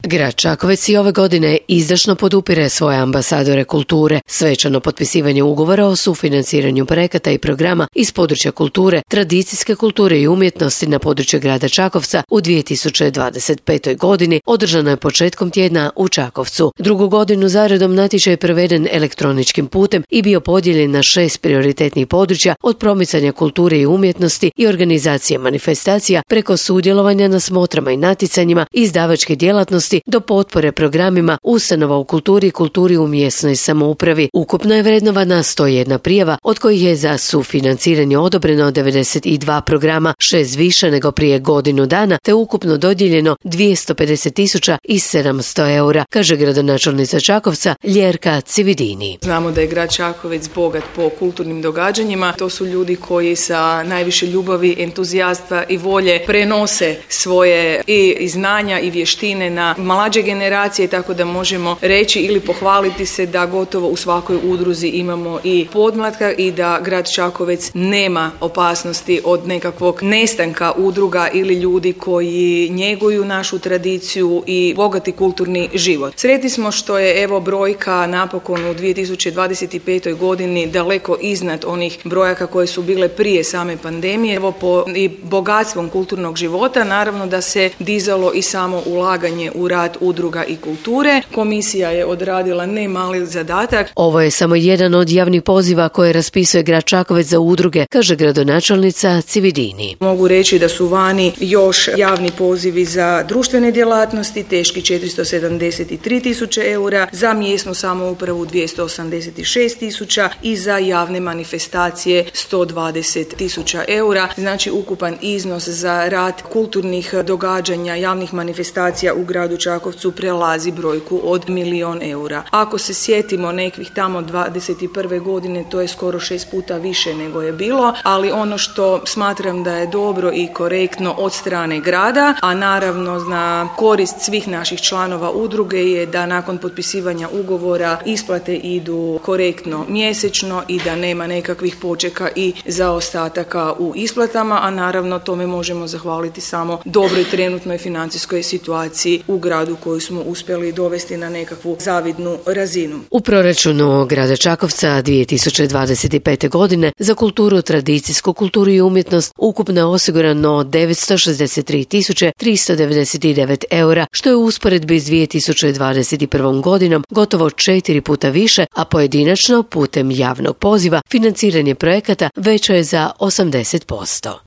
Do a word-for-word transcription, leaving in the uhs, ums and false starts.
Grad Čakovec i ove godine izdašno podupire svoje ambasadore kulture. Svečano potpisivanje ugovora o sufinanciranju projekata i programa iz područja kulture, tradicijske kulture i umjetnosti na području grada Čakovca u dvije tisuće dvadeset petoj. godini održano je početkom tjedna u Čakovcu. Drugu godinu zaredom natječaj je proveden elektroničkim putem i bio podijeljen na šest prioritetnih područja od promicanja kulture i umjetnosti i organizacije manifestacija preko sudjelovanja na smotrama i natjecanjima, izdavačke djelatnosti do potpore programima ustanova u kulturi i kulturi u mjesnoj samoupravi. Ukupno je vrednovana sto jedna prijava, od kojih je za sufinanciranje odobreno devedeset dva programa, šest više nego prije godinu dana, te ukupno dodijeljeno dvjesto pedeset tisuća sedamsto eura, kaže gradonačelnica Čakovca Ljerka Cividini. Znamo da je grad Čakovec bogat po kulturnim događanjima. To su ljudi koji sa najviše ljubavi, entuzijasta i volje prenose svoje i znanja i vještine na mlađe generacije, tako da možemo reći ili pohvaliti se da gotovo u svakoj udruzi imamo i podmlatka i da grad Čakovec nema opasnosti od nekakvog nestanka udruga ili ljudi koji njeguju našu tradiciju i bogati kulturni život. Sretni smo što je evo brojka napokon u dvije tisuće dvadeset petoj. godini daleko iznad onih brojaka koje su bile prije same pandemije. Evo po i bogatstvom kulturnog života naravno da se dizalo i samo ulaganje u rad udruga i kulture. Komisija je odradila ne mali zadatak. Ovo je samo jedan od javnih poziva koje raspisuje grad Čakovec za udruge, kaže gradonačelnica Cividini. Mogu reći da su vani još javni pozivi za društvene djelatnosti, teški četiristo sedamdeset tri tisuće eura, za mjesnu samoupravu dvjesto osamdeset šest tisuća i za javne manifestacije sto dvadeset tisuća eura. Znači ukupan iznos za rad kulturnih događanja, javnih manifestacija u gradu Čakovcu prelazi brojku od milijon eura. Ako se sjetimo nekih tamo dvadeset prve. godine, to je skoro šest puta više nego je bilo, ali ono što smatram da je dobro i korektno od strane grada, a naravno na korist svih naših članova udruge je da nakon potpisivanja ugovora isplate idu korektno mjesečno i da nema nekakvih počeka i zaostataka u isplatama, a naravno tome možemo zahvaliti samo dobroj trenutnoj financijskoj situaciji u gradu koju smo uspjeli dovesti na nekakvu zavidnu razinu. U proračunu grada Čakovca dvije tisuće dvadeset pete. godine za kulturu, tradicijsku kulturu i umjetnost ukupno je osigurano devetsto šezdeset tri tisuće tristo devedeset devet eura, što je u usporedbi s dvije tisuće dvadeset prvom. godinom gotovo četiri puta više, a pojedinačno putem javnog poziva financiranje projekata veće je za osamdeset posto.